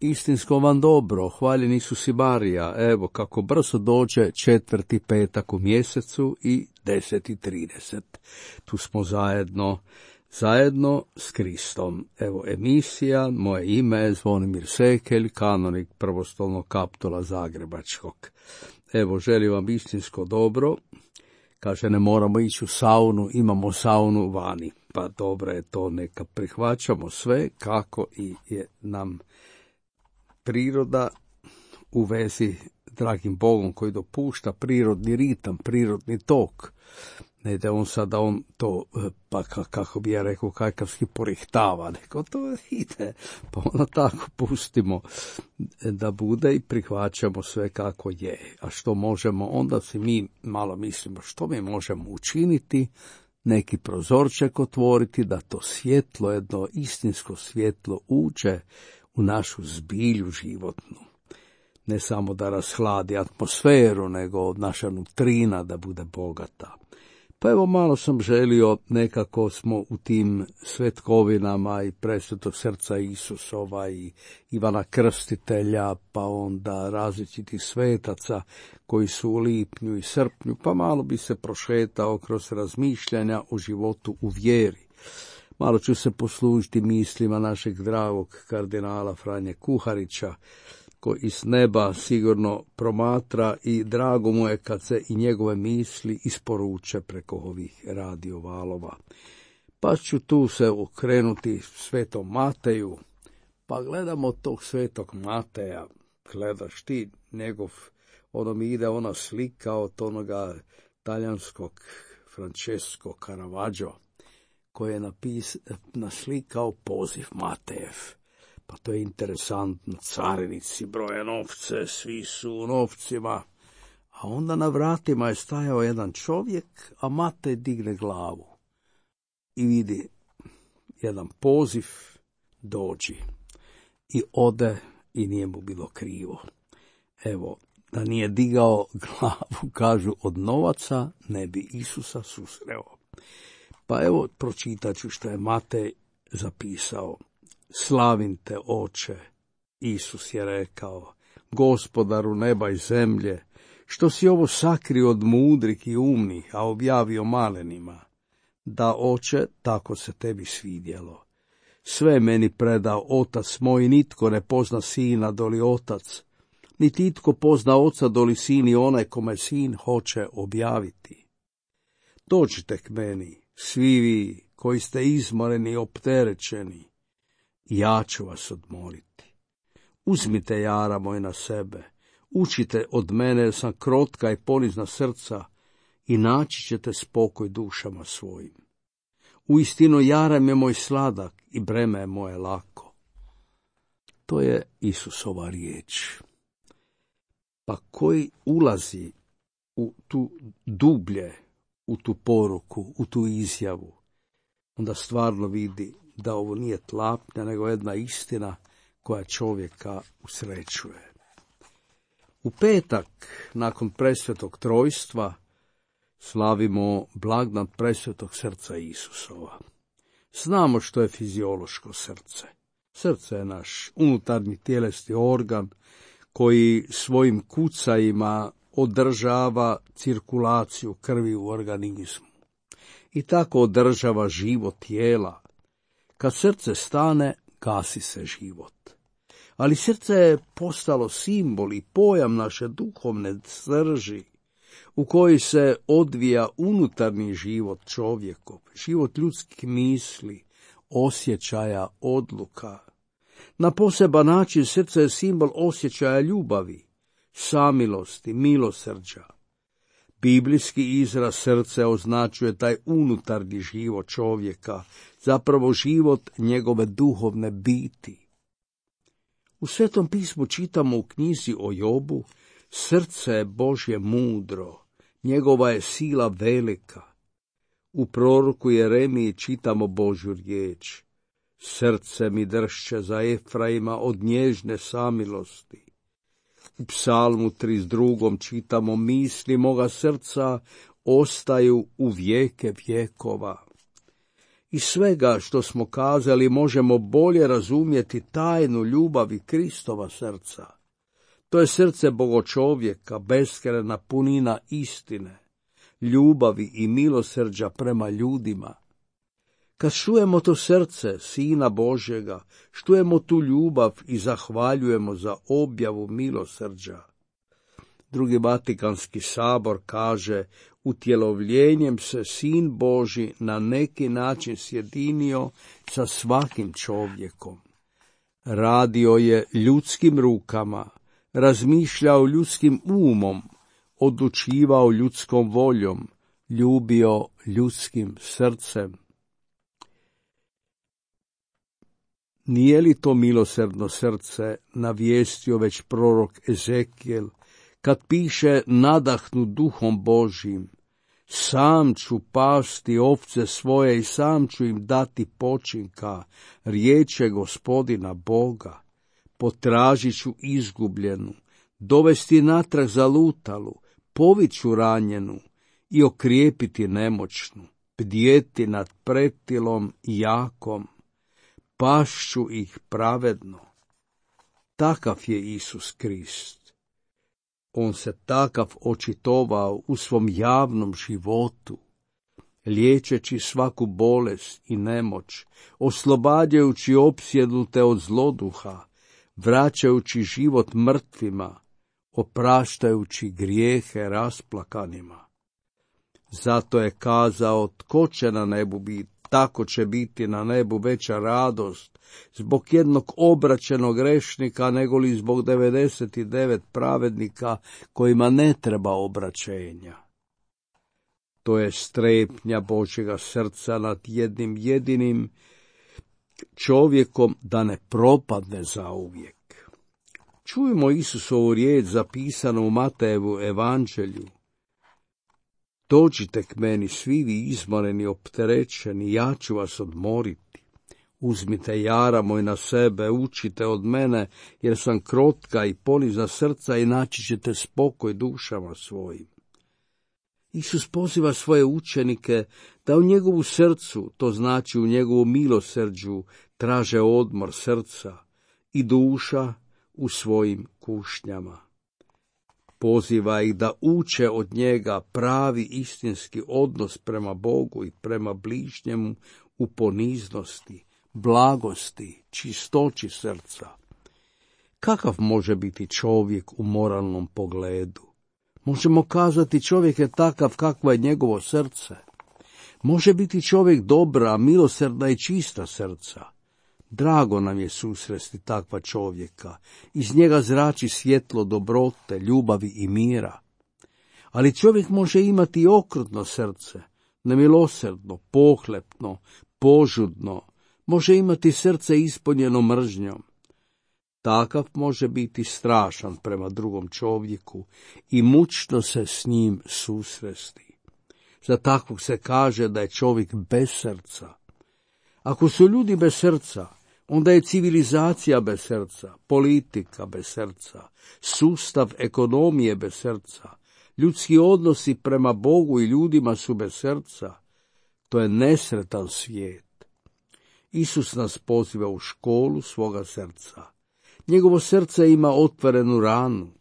istinsko vam dobro, hvaljen Isus i Marija, evo kako brzo dođe 4. petak u mjesecu i 10:30. Tu smo zajedno s Kristom. Evo emisija, moje ime je Zvonimir Sekelj, kanonik Prvostolnog kaptola Zagrebačkog. Evo, želim vam istinsko dobro. Kaže, ne moramo ići u saunu, imamo saunu vani. Pa dobro je to, neka prihvaćamo sve kako i je nam priroda u vezi dragim Bogom koji dopušta prirodni ritam, prirodni tok. Ne da on to, pa kako bi ja rekao, kajkavski porihtava, nego to ide, pa onda tako pustimo da bude i prihvaćamo sve kako je. A što možemo, onda si mi malo mislimo što mi možemo učiniti, neki prozorček otvoriti, da to svjetlo, jedno istinsko svjetlo uđe u našu zbilju životnu. Ne samo da rashladi atmosferu, nego naša nutrina da bude bogata. Pa evo malo sam želio, nekako smo u tim svetkovinama i presvetog srca Isusova i Ivana Krstitelja, pa onda različitih svetaca koji su u lipnju i srpnju, pa malo bi se prošetao kroz razmišljanja o životu u vjeri. Malo ću se poslužiti mislima našeg dragog kardinala Franje Kuharića, koji iz neba sigurno promatra i drago mu je kad se i njegove misli isporuče preko ovih radiovalova. Pa ću tu se okrenuti Svetom Mateju, pa gledamo tog Svetog Mateja, gledaš ti njegov, ono mi ide ona slika od onoga talijanskog Francesco Caravaggio, koji je naslikao poziv Matejev. Pa to je interesantno, carinici broje novce, svi su u novcima, a onda na vratima je stajao jedan čovjek, a Matej digne glavu i vidi jedan poziv, dođi, i ode i nije mu bilo krivo. Evo, da nije digao glavu, kažu, od novaca ne bi Isusa susreo. Pa evo, pročitat ću što je Matej zapisao. Slavim te, Oče, Isus je rekao, Gospodaru neba i zemlje, što si ovo sakrio od mudrih i umnih, a objavio malenima. Da, Oče, tako se tebi svidjelo. Sve meni predao Otac moj, nitko ne pozna Sina doli Otac, niti itko pozna Oca doli Sin i onaj kome Sin hoće objaviti. Dođite k meni, svi vi koji ste izmoreni i opterećeni, ja ću vas odmoriti. Uzmite jara moj na sebe, učite od mene jer sam krotka i ponizna srca i naći ćete spokoj dušama svojim. Uistinu jaram je moj sladak i breme je moje lako. To je Isusova riječ. Pa koji ulazi u tu dublje, u tu poruku, u tu izjavu, onda stvarno vidi da ovo nije tlapnja, nego jedna istina koja čovjeka usrećuje. U petak, nakon presvetog trojstva, slavimo blagdan presvetog srca Isusova. Znamo što je fiziološko srce. Srce je naš unutarnji tjelesni organ koji svojim kucajima održava cirkulaciju krvi u organizmu i tako održava život tijela. Kad srce stane, gasi se život. Ali srce je postalo simbol i pojam naše duhovne srži, u kojoj se odvija unutarnji život čovjekov, život ljudskih misli, osjećaja, odluka. Na poseban način srce je simbol osjećaja ljubavi, samilosti, milosrđa. Biblijski izraz srce označuje taj unutarnji život čovjeka, zapravo život njegove duhovne biti. U Svetom pismu čitamo u knjizi o Jobu, srce je Božje mudro, njegova je sila velika. U proroku Jeremiji čitamo Božju riječ, srce mi dršće za Efraima od nježne samilosti. U Psalmu 32. čitamo, misli moga srca ostaju u vijeke vjekova. Iz svega što smo kazali možemo bolje razumjeti tajnu ljubavi Kristova srca. To je srce Bogočovjeka, beskrajna punina istine, ljubavi i milosrđa prema ljudima. Kad čujemo to srce Sina Božjega, čujemo tu ljubav i zahvaljujemo za objavu milosrđa. Drugi Vatikanski sabor kaže, utjelovljenjem se Sin Božji na neki način sjedinio sa svakim čovjekom. Radio je ljudskim rukama, razmišljao ljudskim umom, odlučivao ljudskom voljom, ljubio ljudskim srcem. Nije li to milosrdno srce navijestio već prorok Ezekijel, kad piše nadahnut duhom Božjim, sam ću pasti ovce svoje i sam ću im dati počinka, riječe Gospodina Boga, potražit ću izgubljenu, dovesti natrag zalutalu, poviću ranjenu i okrijepiti nemoćnu, bdjeti nad pretilom i jakom, pašću ih pravedno. Takav je Isus Krist. On se takav očitovao u svom javnom životu, liječeći svaku bolest i nemoć, oslobađajući opsjednute od zloduha, vraćajući život mrtvima, opraštajući grijehe rasplakanima. Zato je kazao, tko će na nebu biti, tako će biti na nebu veća radost zbog jednog obraćenog grešnika negoli zbog 99 pravednika kojima ne treba obraćenja. To je strepnja Božjega srca nad jednim jedinim čovjekom da ne propadne zauvijek. Čujmo Isusovu riječ zapisanu u Matejevu evanđelju. Dođite k meni svi vi izmoreni, opterećeni, ja ću vas odmoriti. Uzmite jara moj na sebe, učite od mene, jer sam krotka i ponizna srca i naći ćete spokoj dušama svojim. Isus poziva svoje učenike da u njegovu srcu, to znači u njegovu milosrđu, traže odmor srca i duša u svojim kušnjama. Poziva ih da uče od njega pravi istinski odnos prema Bogu i prema bližnjemu u poniznosti, blagosti, čistoći srca. Kakav može biti čovjek u moralnom pogledu? Možemo kazati čovjek je takav kakvo je njegovo srce. Može biti čovjek dobra, milosrdna i čista srca. Drago nam je susresti takva čovjeka, iz njega zrači svjetlo dobrote, ljubavi i mira. Ali čovjek može imati i okrutno srce, nemilosrdno, pohlepno, požudno, može imati srce ispunjeno mržnjom. Takav može biti strašan prema drugom čovjeku i mučno se s njim susresti. Za takvog se kaže da je čovjek bez srca. Ako su ljudi bez srca, onda je civilizacija bez srca, politika bez srca, sustav ekonomije bez srca, ljudski odnosi prema Bogu i ljudima su bez srca. To je nesretan svijet. Isus nas poziva u školu svoga srca. Njegovo srce ima otvorenu ranu,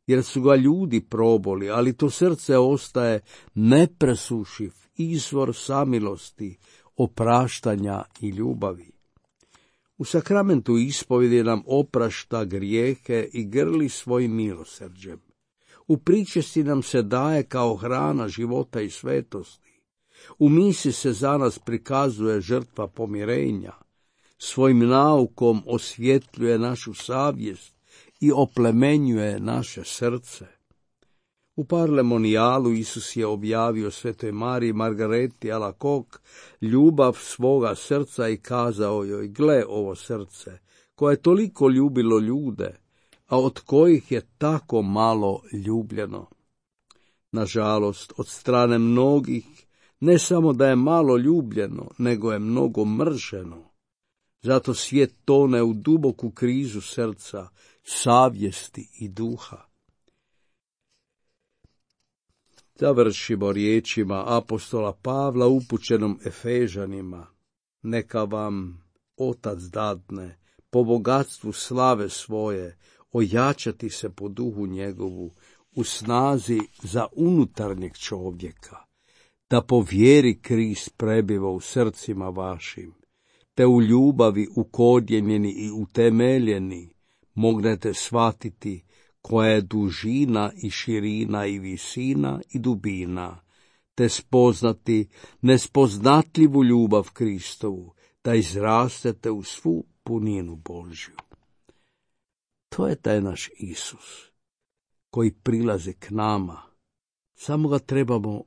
jer su ga ljudi proboli, ali to srce ostaje nepresušiv izvor samilosti, opraštanja i ljubavi. U sakramentu ispovjedi nam oprašta grijehe i grli svojim milosrđem. U pričesti nam se daje kao hrana života i svetosti. U misi se za nas prikazuje žrtva pomirenja. Svojim naukom osvjetljuje našu savjest i oplemenjuje naše srce. U Parlemonijalu Isus je objavio Svetoj Mariji Margareti Alacoque ljubav svoga srca i kazao joj, gle ovo srce, koje je toliko ljubilo ljude, a od kojih je tako malo ljubljeno. Nažalost, od strane mnogih, ne samo da je malo ljubljeno, nego je mnogo mrženo. Zato svijet tone u duboku krizu srca, savjesti i duha. Završimo riječima apostola Pavla upućenom Efežanima. Neka vam Otac dadne, po bogatstvu slave svoje, ojačati se po duhu njegovu, u snazi za unutarnjeg čovjeka, da po vjeri Krist prebiva u srcima vašim, te u ljubavi ukorijenjeni i utemeljeni mognete shvatiti koja je dužina i širina i visina i dubina, te spoznati nespoznatljivu ljubav Kristovu, da izrastete u svu puninu Božju. To je taj naš Isus, koji prilazi k nama. Samo ga trebamo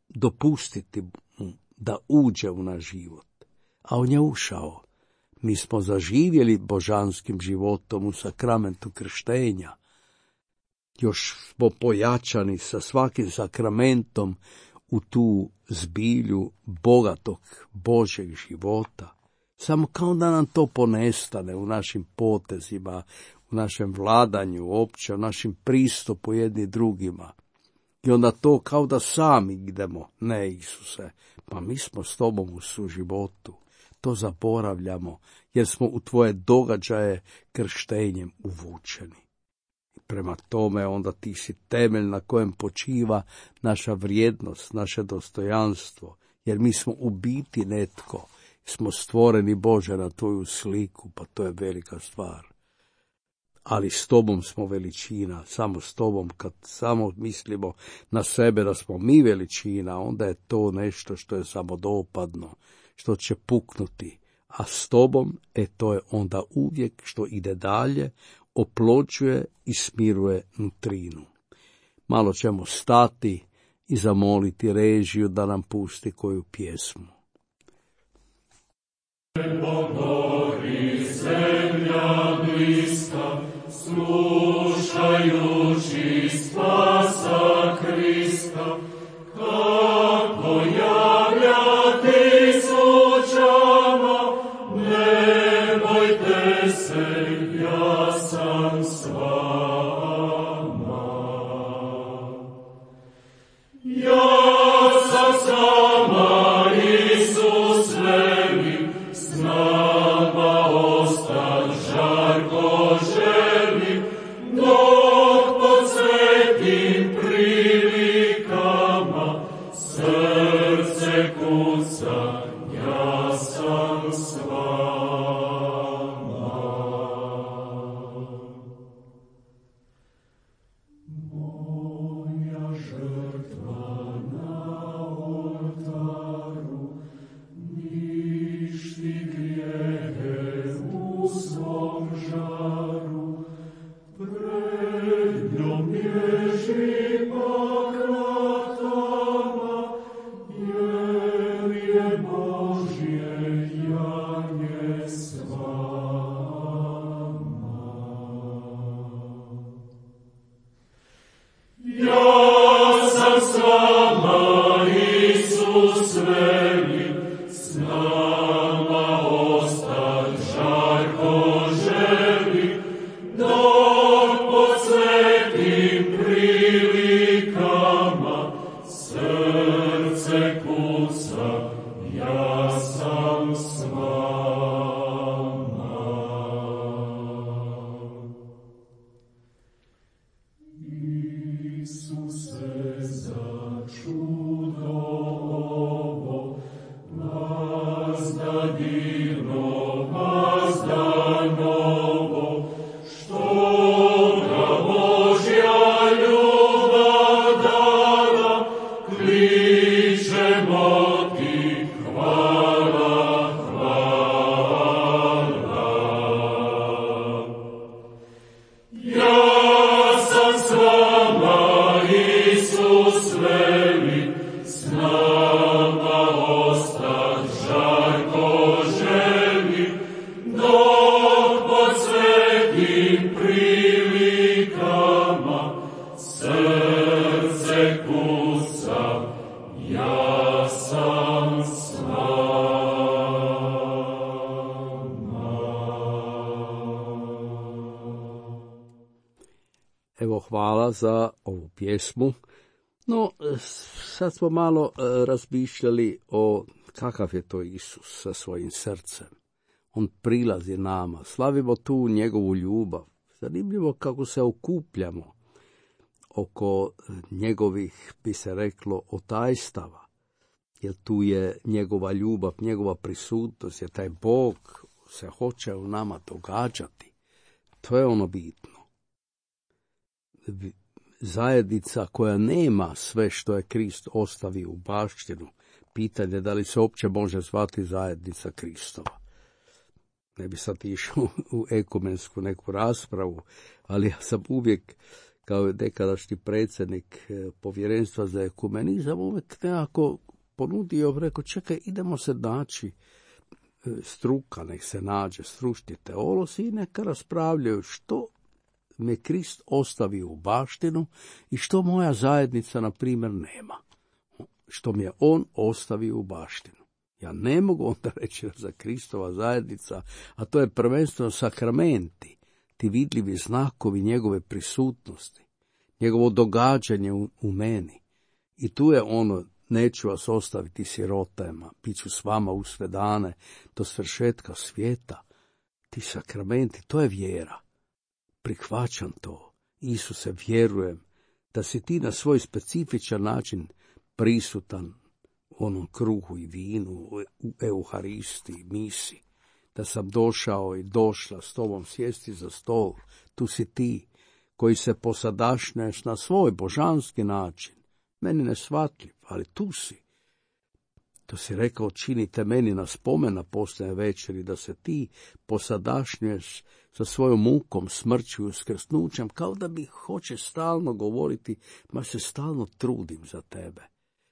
dopustiti mu da uđe u naš život. A on je ušao. Mi smo zaživjeli božanskim životom u sakramentu krštenja. Još smo pojačani sa svakim sakramentom u tu zbilju bogatog Božjeg života. Samo kao da nam to ponestane u našim potezima, u našem vladanju opće, u našem pristupu jedni drugima. I onda to kao da sami idemo. Ne, Isuse, pa mi smo s tobom u suživotu. To zaboravljamo, jer smo u tvoje događaje krštenjem uvučeni. Prema tome onda ti si temelj na kojem počiva naša vrijednost, naše dostojanstvo, jer mi smo u biti netko, smo stvoreni Bože na tvoju sliku, pa to je velika stvar. Ali s tobom smo veličina, samo s tobom, kad samo mislimo na sebe da smo mi veličina, onda je to nešto što je samodopadno, što će puknuti, a s tobom, to je onda uvijek što ide dalje, oplođuje i smiruje nutrinu. Malo ćemo stati i zamoliti režiju da nam pusti koju pjesmu. Pogori zemlja bliska, slušajući spasa Krista, kako javlja tisućama, ne bojte se, ja sam s vama. Ja sam s vama, Isus veli, s nama ostat žarko želi, dok pod svetim prilikama srce kuca, ja sam s vama. Moja žrtva na oltaru ništi grijehe u svom žaru, pred njom bježi pakratama, jer je Božje janje s vama. Ja sam s vama, Isus veli, s nama ostat žarko želi, dok pod svetim prilikama srce kuca, ja sam s vama. Isuse, za čudo ovo, vazda divno, vazda novo, što ga Božja ljubav dala, kličemo ti hvala, hvala. Ja sam s vama, Isus veli, s nama ostat žarko želi, dok pod svetim prilikama srce kuca, ja sam s vama. Evo, hvala za ovu pjesmu. No, sad smo malo razmišljali o Kakav je to Isus sa svojim srcem? On prilazi nama, slavimo tu njegovu ljubav. Zanimljivo kako se okupljamo oko njegovih, bi se reklo, otajstava. Jer tu je njegova ljubav, njegova prisutnost, jer taj Bog se hoće u nama događati. To je ono bitno. Zajednica koja nema sve što je Krist ostavio u baštinu, pitanje da li se uopće može zvati zajednica Kristova. Ne bi sad išao u ekumensku neku raspravu, ali ja sam uvijek, kao nekadašnji predsjednik povjerenstva za ekumenizam, uvijek nekako ponudio, rekao, čekaj, idemo se naći, struka, nek se nađe, stručni teolozi i neka raspravljaju što me Krist ostavi u baštinu i što moja zajednica, na primjer, nema. Što mi je on ostavio u baštinu. Ja ne mogu onda reći da za Kristova zajednica, a to je prvenstveno sakramenti, ti vidljivi znakovi njegove prisutnosti, njegovo događanje u meni. I tu je ono, neću vas ostaviti sirotajima, bit ću s vama u sve dane do svršetka svijeta. Ti sakramenti, to je vjera. Prihvaćam to. Isuse, vjerujem da si ti na svoj specifičan način prisutan u onom kruhu i vinu, u Euharistiji, misi, da sam došao i došla s tobom sjesti za stol. Tu si ti, koji se posadašnješ na svoj božanski način. Meni neshvatljiv, ali tu si. To si rekao, činite meni na spomen na posljednje večeri, da se ti posadašnješ sa svojom mukom, smrću i uskrsnućem, kao da mi hoće stalno govoriti, ma se stalno trudim za tebe.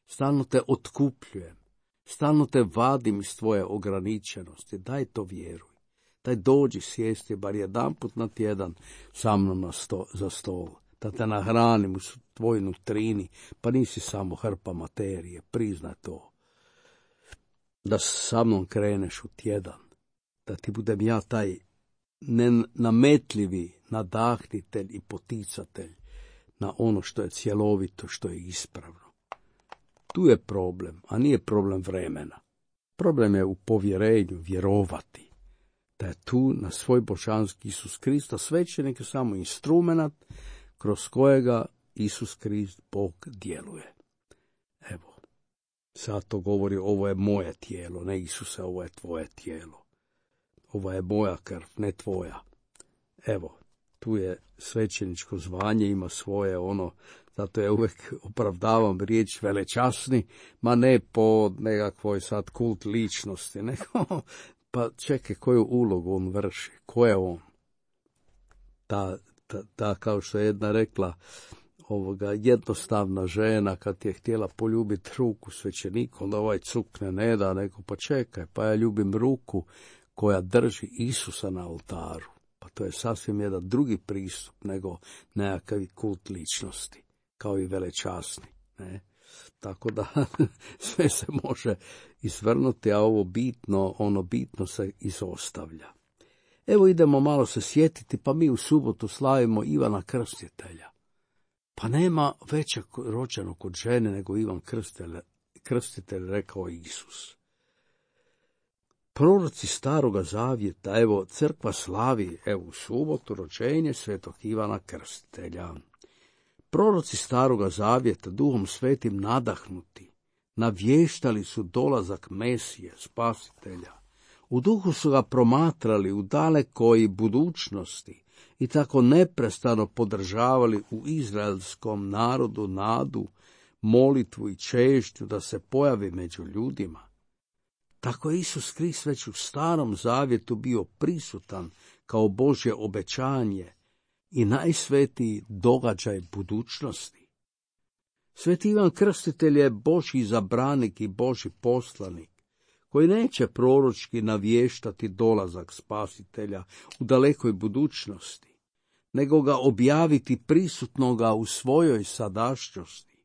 Stalno te otkupljujem, stalno te vadim iz tvoje ograničenosti, daj to vjeruj. Daj dođi sjesti bar jedanput na tjedan sa mnom za stol, da te nahranim u tvojoj nutrini, pa nisi samo hrpa materije, priznaj to. Da sa mnom kreneš u tjedan, da ti budem ja taj nenametljivi nadahnitelj i poticatelj na ono što je cjelovito, što je ispravno. Tu je problem, a nije problem vremena. Problem je u povjerenju, vjerovati da je tu na svoj božanski Isus Krista, svećenik je samo instrument kroz kojega Isus Krist, Bog, djeluje. Evo, sad to govori, ovo je moje tijelo, ne Isuse, ovo je tvoje tijelo. Ovo je moja krv, ne tvoja. Evo, tu je svećeničko zvanje, ima svoje ono, zato ja uvijek opravdavam riječ velečasni, ma ne po nekakvoj sad kult ličnosti, nego, pa čekaj, koju ulogu on vrši, ko je on? Ta kao što je jedna rekla, jednostavna žena kad je htjela poljubiti ruku svećeniku, onda ovaj cukne ne da, nego pa čekaj, pa ja ljubim ruku koja drži Isusa na oltaru. Pa to je sasvim jedan drugi pristup nego nekakav kult ličnosti, kao i velečasni. Ne? Tako da sve se može izvrnuti, a ono bitno se izostavlja. Evo idemo malo se sjetiti, pa mi u subotu slavimo Ivana Krstitelja. Pa nema većeg rođenog od žene nego Ivan Krstitelj, rekao Isus. Proroci Staroga Zavjeta, evo, crkva slavi, evo, u subotu rođenje svetog Ivana Krstitelja. Proroci Staroga Zavjeta, Duhom Svetim nadahnuti, navještali su dolazak Mesije, Spasitelja. U duhu su ga promatrali u dalekoj budućnosti i tako neprestano podržavali u izraelskom narodu nadu, molitvu i čežnju da se pojavi među ljudima. Tako je Isus Krist već u Starom Zavjetu bio prisutan kao Božje obećanje i najsvetiji događaj budućnosti. Sveti Ivan Krstitelj je Božji izabranik i Božji poslanik, koji neće proročki navještati dolazak Spasitelja u dalekoj budućnosti, nego ga objaviti prisutnoga u svojoj sadašnjosti.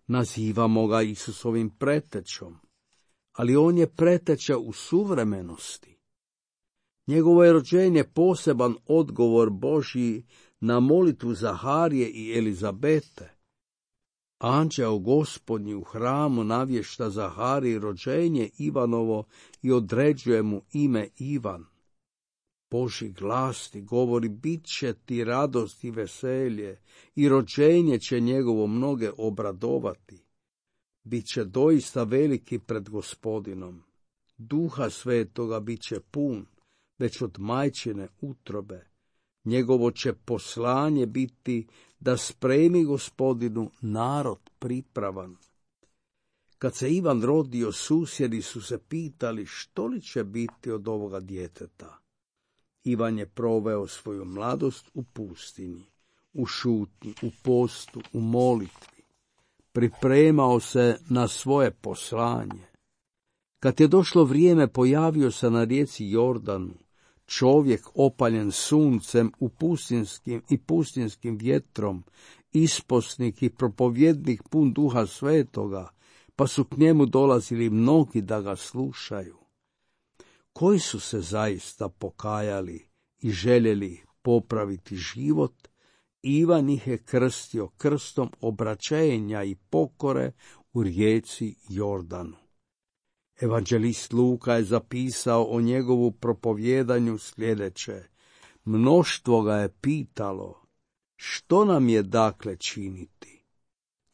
Nazivamo ga Isusovim pretečom, ali on je preteča u suvremenosti. Njegovo je rođenje poseban odgovor Božji na molitvu Zaharije i Elizabete, Anđeo Gospodnji u hramu navješta Zahariji rođenje Ivanovo i određuje mu ime Ivan. Božji glas ti govori, bit će ti radost i veselje i rođenje će njegovo mnoge obradovati. Biće doista veliki pred Gospodinom. Duha Svetoga bit će pun, već od majčine utrobe. Njegovo će poslanje biti da spremi Gospodinu narod pripravan. Kad se Ivan rodio, susjedi su se pitali što li će biti od ovoga djeteta. Ivan je proveo svoju mladost u pustinji, u šutnji, u postu, u molitvi. Pripremao se na svoje poslanje. Kad je došlo vrijeme, pojavio se na rijeci Jordanu, čovjek opaljen suncem i pustinskim vjetrom, isposnik i propovjednik pun Duha Svetoga, pa su k njemu dolazili mnogi da ga slušaju. Koji su se zaista pokajali i željeli popraviti život, Ivan ih je krstio krstom obraćenja i pokore u rijeci Jordanu. Evanđelist Luka je zapisao o njegovu propovjedanju sljedeće: mnoštvo ga je pitalo, što nam je dakle činiti?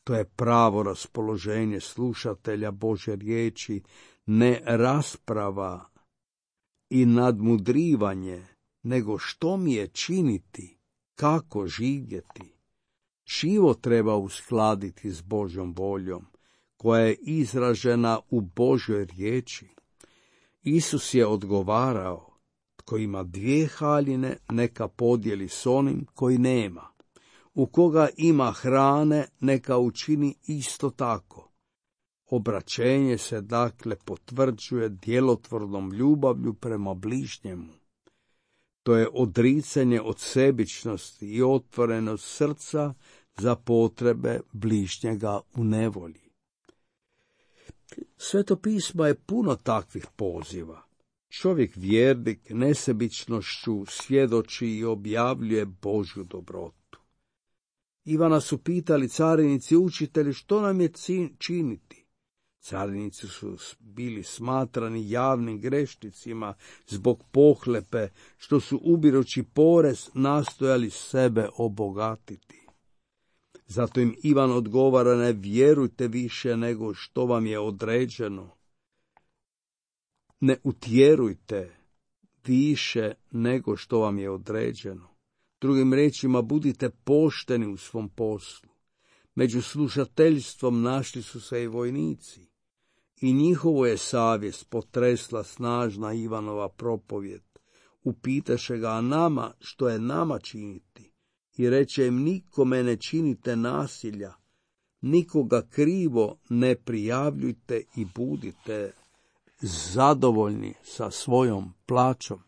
To je pravo raspoloženje slušatelja Božje riječi, ne rasprava i nadmudrivanje, nego što mi je činiti, kako živjeti. Život treba uskladiti s Božjom voljom, koja je izražena u Božjoj riječi. Isus je odgovarao, tko ima 2 haljine, neka podijeli s onim koji nema. U koga ima hrane, neka učini isto tako. Obraćenje se dakle potvrđuje djelotvornom ljubavlju prema bližnjemu. To je odricanje od sebičnosti i otvorenost srca za potrebe bližnjega u nevolji. Sveto pismo je puno takvih poziva. Čovjek vjernik nesebičnošću svjedoči i objavljuje Božju dobrotu. Ivana su pitali carinici, učitelji, što nam je činiti? Carinici su bili smatrani javnim grešnicima zbog pohlepe, što su ubirući porez nastojali sebe obogatiti. Zato im Ivan odgovara, ne vjerujte više nego što vam je određeno. Ne utjerujte više nego što vam je određeno. Drugim riječima, budite pošteni u svom poslu. Među slušateljstvom našli su se i vojnici. I njihovo je savjest potresla snažna Ivanova propovjed. Upitaše ga, a nama, što je nama činiti? I reče im, nikome ne činite nasilja, nikoga krivo ne prijavljujte i budite zadovoljni sa svojom plaćom.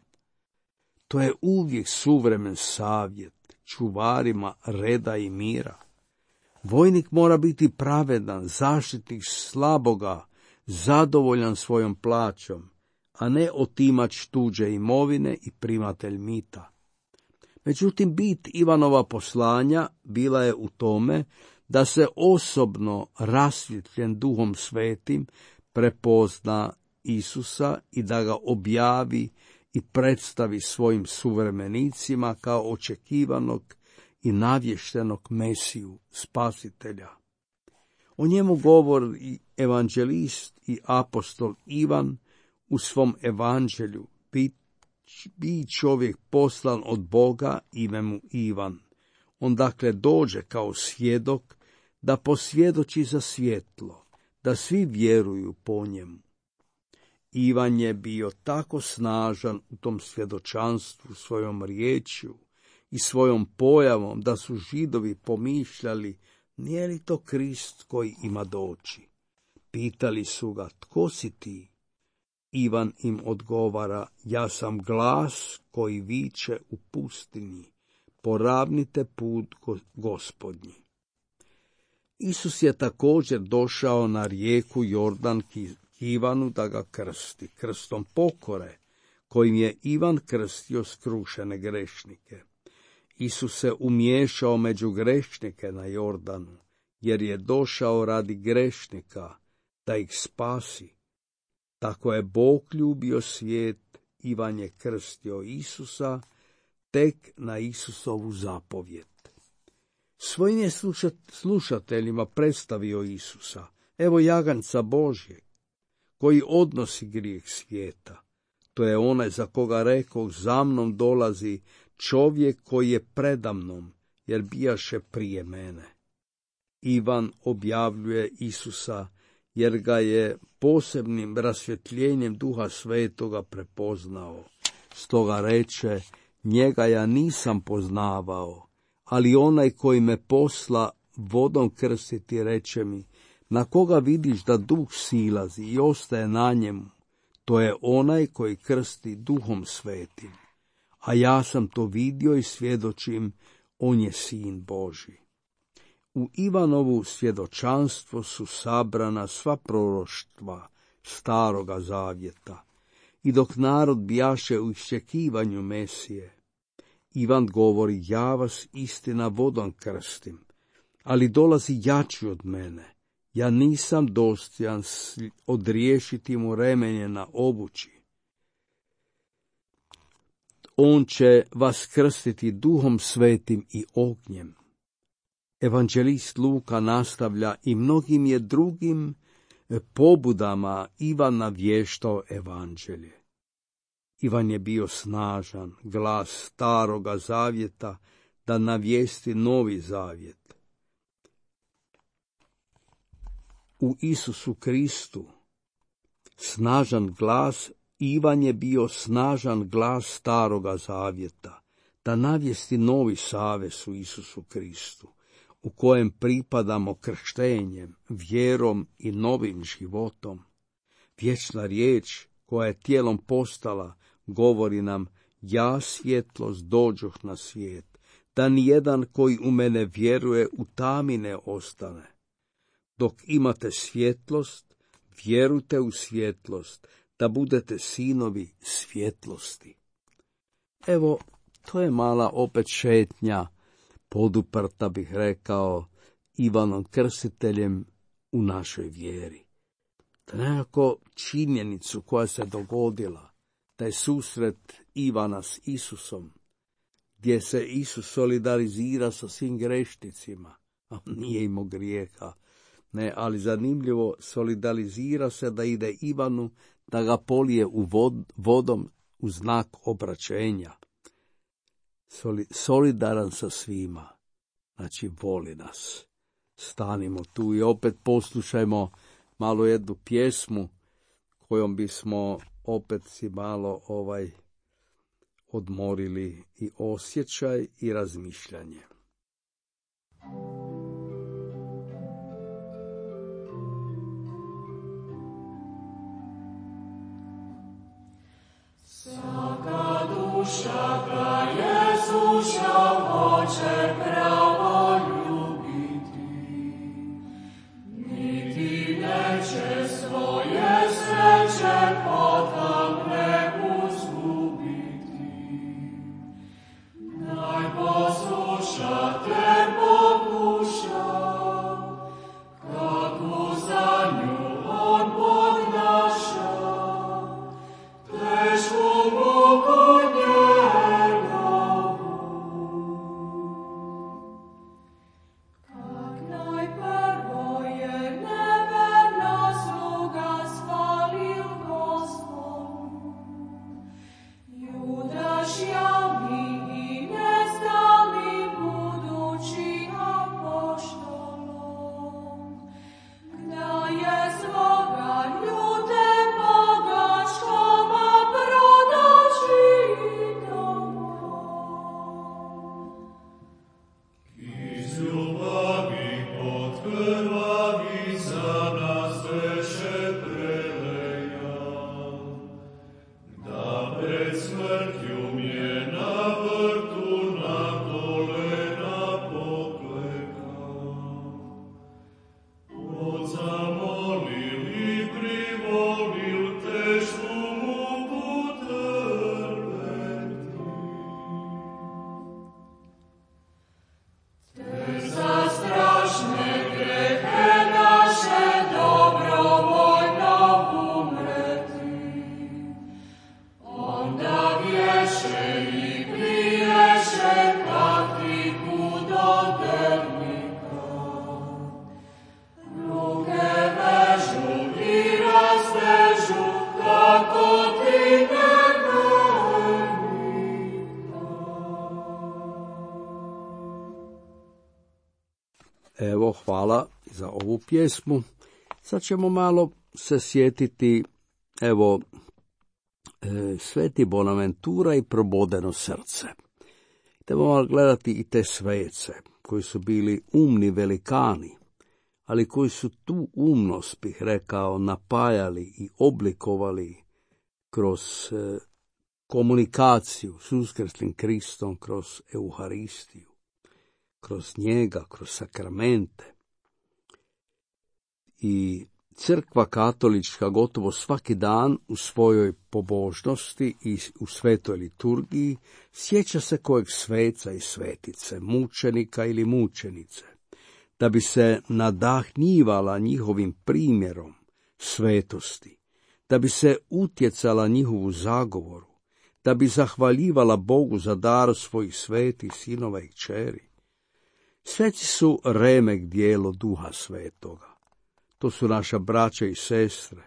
To je uvijek suvremen savjet čuvarima reda i mira. Vojnik mora biti pravedan, zaštitnik slaboga, zadovoljan svojom plaćom, a ne otimač tuđe imovine i primatelj mita. Međutim, bit Ivanova poslanja bila je u tome da se osobno rasvjetljen Duhom Svetim prepozna Isusa i da ga objavi i predstavi svojim suvremenicima kao očekivanog i navještenog Mesiju, spasitelja. O njemu govori evanđelist i apostol Ivan u svom evanđelju. Bi čovjek poslan od Boga, ime mu Ivan. On dakle dođe kao svjedok da posvjedoči za svjetlo, da svi vjeruju po njemu. Ivan je bio tako snažan u tom svjedočanstvu svojom riječju i svojom pojavom da su Židovi pomišljali, nije li to Krist koji ima doći? Pitali su ga, tko si ti? Ivan im odgovara, ja sam glas koji viče u pustinji, poravnite put Gospodnji. Isus je također došao na rijeku Jordan k Ivanu da ga krsti, krstom pokore, kojim je Ivan krstio skrušene grešnike. Isus se umiješao među grešnike na Jordanu. jer je došao radi grešnika, da ih spasi. Tako je Bog ljubio svijet, Ivan je krstio Isusa, tek na Isusovu zapovjed. Svojim je slušateljima predstavio Isusa, evo jaganca Božjeg, koji odnosi grijeh svijeta. To je onaj za koga rekoh, za mnom dolazi čovjek koji je predamnom, jer bijaše prije mene. Ivan objavljuje Isusa, jer ga je posebnim rasvjetljenjem Duha Svetoga prepoznao. Stoga reče, njega ja nisam poznavao, ali onaj koji me posla vodom krstiti reče mi, na koga vidiš da Duh silazi i ostaje na njemu, to je onaj koji krsti Duhom Svetim. A ja sam to vidio i svjedočim, on je Sin Božji. U Ivanovu svjedočanstvo su sabrana sva proroštva Staroga zavjeta. I dok narod bijaše u iščekivanju Mesije, Ivan govori, ja vas istina vodom krstim, ali dolazi jači od mene. Ja nisam dostojan odriješiti mu remenje na obući. On će vas krstiti Duhom Svetim i ognjem. Evanđelist Luka nastavlja, i mnogim je drugim pobudama Ivan navještao evanđelje. Ivan je bio snažan glas Staroga zavjeta da navijesti Novi zavjet. U Isusu Kristu snažan glas, Ivan je bio snažan glas Staroga zavjeta da navijesti novi savez u Isusu Kristu, u kojem pripadamo krštenjem, vjerom i novim životom. Vječna riječ koja je tijelom postala govori nam, ja svjetlost dođoh na svijet, da nijedan koji u mene vjeruje u tami ne ostane. Dok imate svjetlost, vjerujte u svjetlost, da budete sinovi svjetlosti. Evo, to je mala opet šetnja, poduprta bih rekao, Ivanom Krstiteljem u našoj vjeri. To je nekako činjenicu koja se dogodila, taj susret Ivana s Isusom, gdje se Isus solidarizira sa svim grešnicima, a nije imao grijeha. Ne, ali zanimljivo, solidarizira se da ide Ivanu, da ga polije vodom u znak obraćenja. Solidaran sa svima, znači voli nas. Stanimo tu i opet poslušajmo malo jednu pjesmu kojom bismo opet si malo odmorili i osjećaj i razmišljanje. Svaka duša ga Jezuša hoće pravo ljubiti, niti neće svoje sreće potamne uzgubiti. Naj posluša te pokuša, kako za nju on podnaša, tešku muku njegovu. Kak najprvo je neverna sluga spalil Gospodu, Judaš javni i nestalni budući apoštolom, da je svoga ljute bogačkoma prodaži domov. Iz ljubavi pod krvavi za nas veše preleja, da pred smrtju mje na vrtu na kolena pokleka. Odzamolil i privolil tešku muku trpeti. Te za strašne Evo, hvala za ovu pjesmu. Sad ćemo malo se sjetiti, evo, Sveti Bonaventura i probodeno srce. Trebamo gledati i te svece, koji su bili umni velikani, ali koji su tu umnost, bih rekao, napajali i oblikovali kroz komunikaciju s uskrslim Kristom, kroz Euharistiju, kroz njega, kroz sakramente. I Crkva katolička gotovo svaki dan u svojoj pobožnosti i u svetoj liturgiji sjeća se kojeg sveca i svetice, mučenika ili mučenice, da bi se nadahnjivala njihovim primjerom svetosti, da bi se utjecala njihovu zagovoru, da bi zahvaljivala Bogu za dar svojih svetih sinova i kćeri. Sveci su remek dijelo Duha Svetoga. To su naša braća i sestre,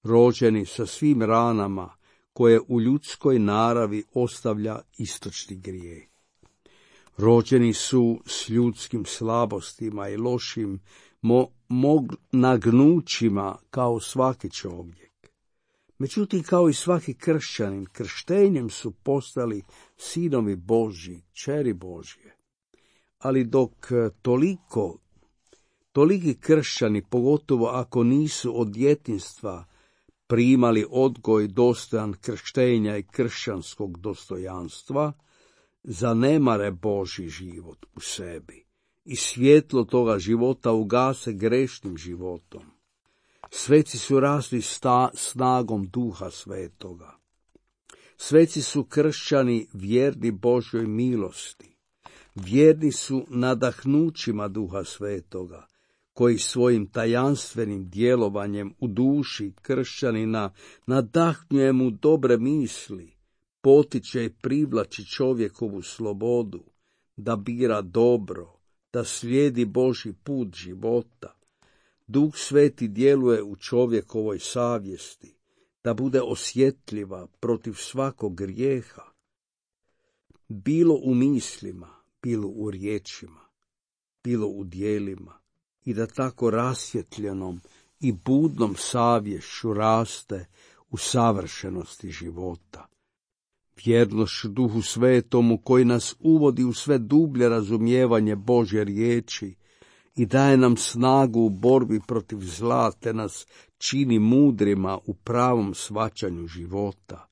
rođeni sa svim ranama koje u ljudskoj naravi ostavlja istočni grijeh. Rođeni su s ljudskim slabostima i lošim nagnućima kao svaki čovjek. Međutim, kao i svaki kršćanin, krštenjem su postali sinovi Božji, kćeri Božje. Ali dok toliki kršćani, pogotovo ako nisu od djetinjstva primali odgoj dostojan krštenja i kršćanskog dostojanstva, zanemare Božji život u sebi i svjetlo toga života ugase grešnim životom. Sveci su rasli snagom Duha Svetoga. Sveci su kršćani vjerni Božjoj milosti. Vjerni su nadahnućima Duha Svetoga, koji svojim tajanstvenim djelovanjem u duši kršćanina nadahnjuje mu dobre misli, potiče i privlači čovjekovu slobodu, da bira dobro, da slijedi Božji put života. Duh Sveti djeluje u čovjekovoj savjesti, da bude osjetljiva protiv svakog grijeha, bilo u mislima, bilo u riječima, bilo u djelima, i da tako rasvjetljenom i budnom savješću raste u savršenosti života. Vjernošću Duhu Svetomu koji nas uvodi u sve dublje razumijevanje Božje riječi i daje nam snagu u borbi protiv zla, te nas čini mudrima u pravom shvaćanju života.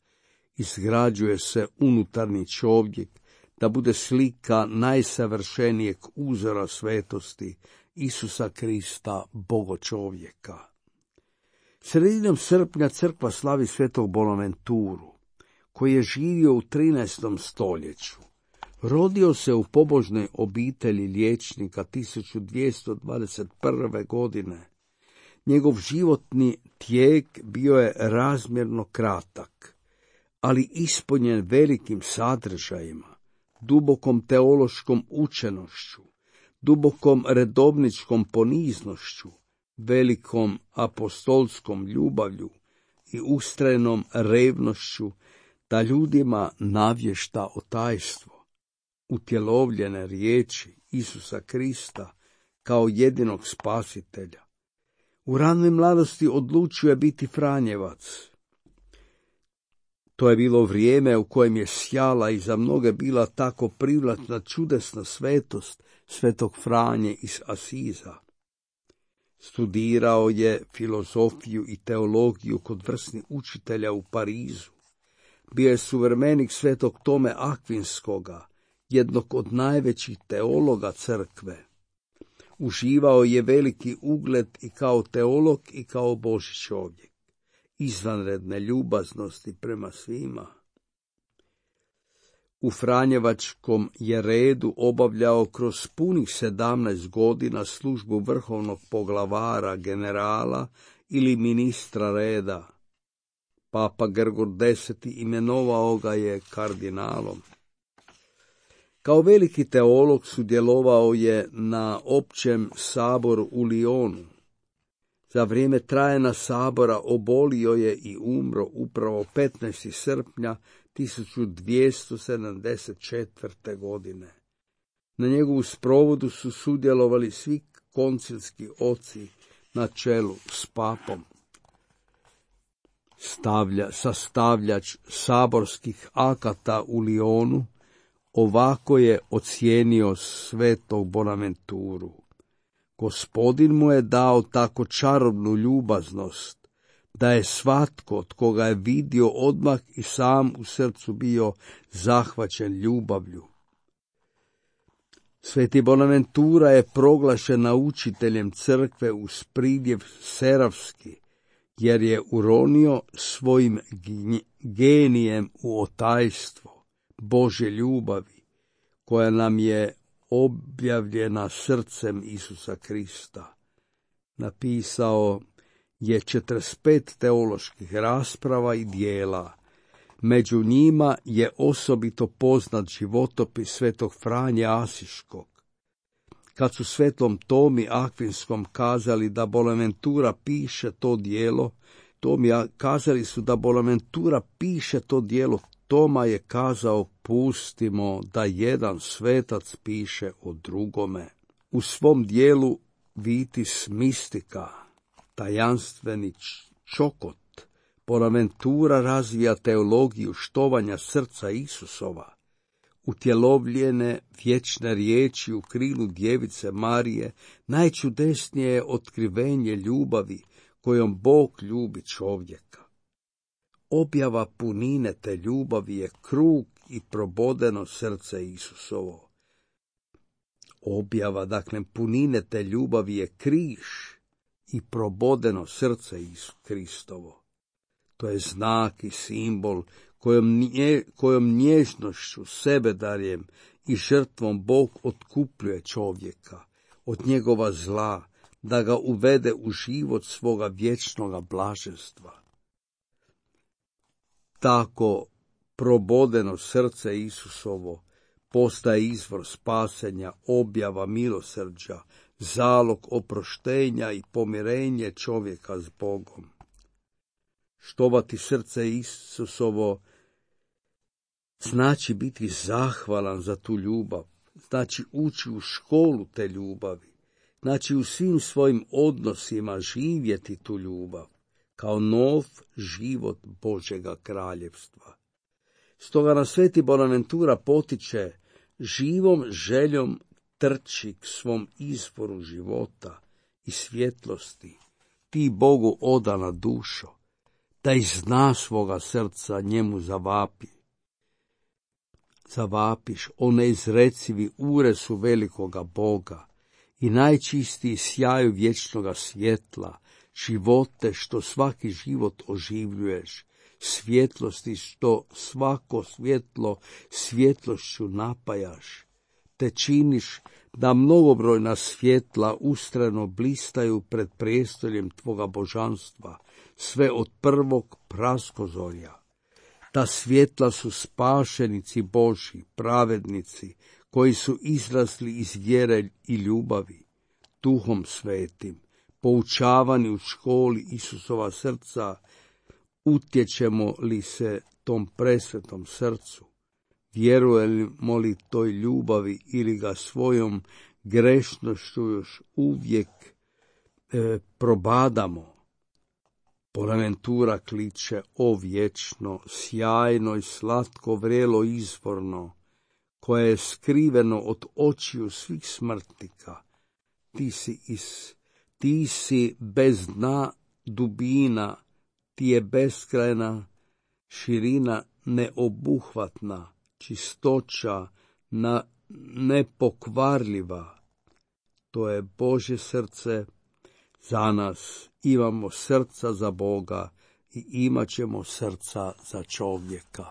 Izgrađuje se unutarnji čovjek da bude slika najsavršenijeg uzora svetosti, Isusa Krista, Boga čovjeka. Sredinom srpnja crkva slavi svetog Bonaventuru, koji je živio u 13. stoljeću. Rodio se u pobožnoj obitelji liječnika 1221. godine. Njegov životni tijek bio je razmjerno kratak, ali ispunjen velikim sadržajima, dubokom teološkom učenošću, dubokom redovničkom poniznošću, velikom apostolskom ljubavlju i ustrajnom revnošću da ljudima navješta o tajstvo, utjelovljene riječi Isusa Krista kao jedinog spasitelja. U ranoj mladosti odlučio je biti Franjevac. To je bilo vrijeme u kojem je sjala i za mnoge bila tako privlačna čudesna svetost svetog Franje iz Asiza. Studirao je filozofiju i teologiju kod vrsnih učitelja u Parizu. Bio je suvremenik svetog Tome Akvinskoga, jednog od najvećih teologa crkve. Uživao je veliki ugled i kao teolog i kao Božji čovjek, izvanredne ljubaznosti prema svima. U Franjevačkom je redu obavljao kroz punih 17 godina službu vrhovnog poglavara, generala ili ministra reda. Papa Grgor X. imenovao ga je kardinalom. Kao veliki teolog sudjelovao je na općem saboru u Lyonu. Za vrijeme trajanja sabora obolio je i umro upravo 15. srpnja 1274. godine. Na njegovu sprovodu su sudjelovali svi koncilski oci na čelu s papom. Sastavljač saborskih akata u Lionu ovako je ocijenio svetog Bonaventuru. Gospodin mu je dao tako čarobnu ljubaznost, da je svatko tko ga je vidio odmah i sam u srcu bio zahvaćen ljubavlju. Sveti Bonaventura je proglašen naučiteljem crkve uz pridjev serafski, jer je uronio svojim genijem u otajstvo Božje ljubavi, koja nam je objavljena srcem Isusa Krista. Napisao je 45 teoloških rasprava i dijela. Među njima je osobito poznat životopis svetog Franje Asiškog. Kad su svetom Tomi Akvinskom kazali da Bonaventura piše to dijelo, kazali su da Bonaventura piše to dijelo, Toma je kazao: pustimo da jedan svetac piše o drugome. U svom dijelu Vitis Mystica, tajanstveni čokot, Bonaventura razvija teologiju štovanja srca Isusova, utjelovljene vječne riječi u krilu djevice Marije. Najčudesnije je otkrivenje ljubavi kojom Bog ljubi čovjeka. Objava punine te ljubavi je krug i probodeno srce Isusovo. Objava, dakle, punine te ljubavi je križ i probodeno srce Kristovo. To je znak i simbol kojom nježnošću, sebedarjem i žrtvom Bog otkupljuje čovjeka od njegova zla, da ga uvede u život svoga vječnoga blaženstva. Tako probodeno srce Isusovo postaje izvor spasenja, objava milosrđa, zalog oproštenja i pomirenje čovjeka s Bogom. Štovati srce Isusovo znači biti zahvalan za tu ljubav, znači ući u školu te ljubavi, znači u svim svojim odnosima živjeti tu ljubav, kao nov život Božjega kraljevstva. Stoga nas sveti Bonaventura potiče živom željom trči k svom izvoru života i svjetlosti, ti Bogu odana dušo, da iz dna svoga srca njemu zavapiš o neizrecivi uresu velikoga Boga i najčistiji sjaju vječnoga svjetla, živote što svaki život oživljuješ, svjetlosti što svako svjetlo svjetlošću napajaš, te činiš da mnogobrojna svjetla ustrajno blistaju pred prijestoljem tvoga božanstva, sve od prvog praskozorja. Ta svjetla su spašenici Božji, pravednici, koji su izrasli iz vjere i ljubavi, Duhom Svetim, poučavani u školi Isusova srca. Utječemo li se tom presvetom srcu? Vjerujemo li toj ljubavi ili ga svojom grešnošću još uvijek probadamo? Bonaventura kliče: o vječno, sjajno i slatko vrelo izvorno, koje je skriveno od očiju svih smrtnika. Ti si bez dna dubina, ti je beskrajna širina neobuhvatna, čistoća nepokvarljiva. To je Božje srce za nas. Imamo srca za Boga i imat ćemo srca za čovjeka.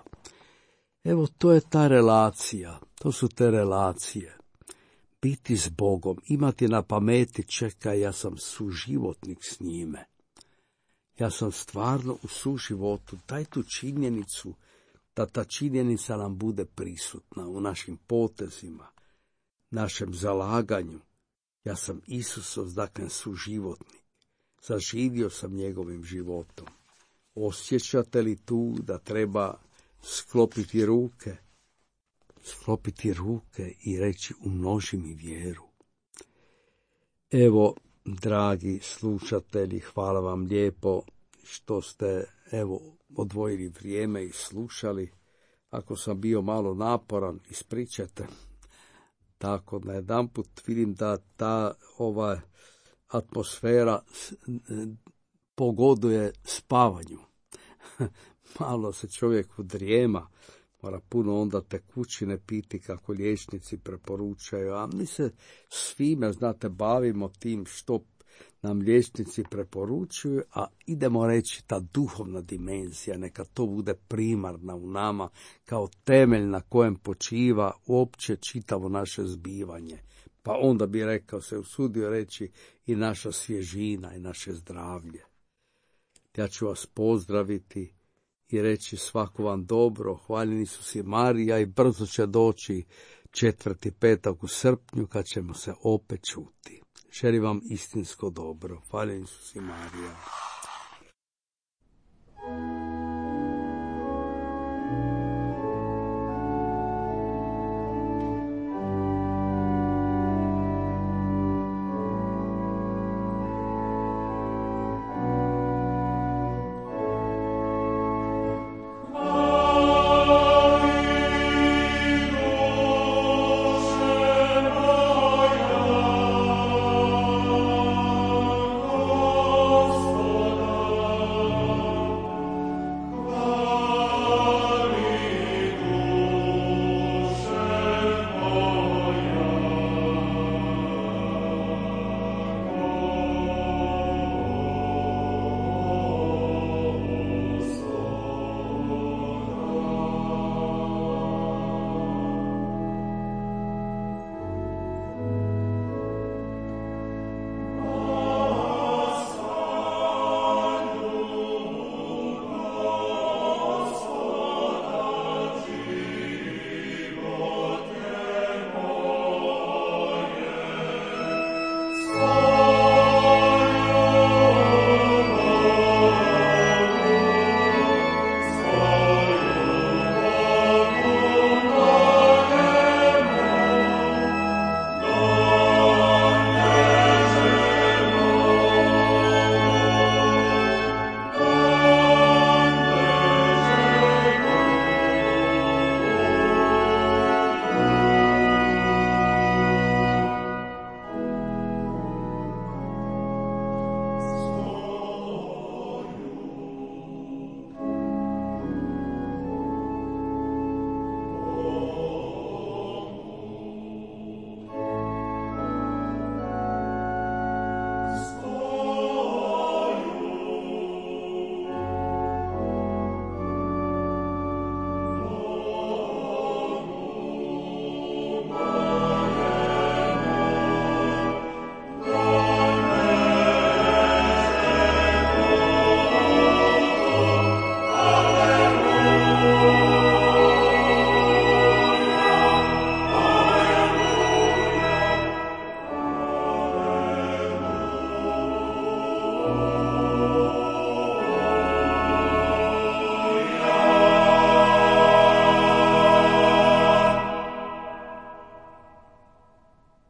Evo, to je ta relacija, to su te relacije. Biti s Bogom, imati na pameti: čekaj, ja sam suživotnik s njime. Ja sam stvarno u suživotu. Daj tu činjenicu, da ta činjenica nam bude prisutna u našim potezima, našem zalaganju. Ja sam Isusov, dakle, suživotnik. Zaživio sam njegovim životom. Osjećate li tu da treba sklopiti ruke i reći: umnoži mi vjeru? Evo, dragi slušatelji, hvala vam lijepo što ste, odvojili vrijeme i slušali. Ako sam bio malo naporan, ispričajte. Tako, na jedanput vidim da ta ova atmosfera pogoduje spavanju. Malo se čovjek udrijema, mora puno onda tekućine piti kako liječnici preporučaju, a mi se svime, bavimo tim što nam liječnici preporučuju, a idemo reći ta duhovna dimenzija, neka to bude primarna u nama, kao temelj na kojem počiva uopće čitavo naše zbivanje. Pa onda bi se usudio reći i naša svježina i naše zdravlje. Ja ću vas pozdraviti i reći svako vam dobro, hvaljeni Isus i Marija, i brzo će doći 4. petak u srpnju kad ćemo se opet čuti. Želim vam istinsko dobro. Hvaljeni Isus i Marija.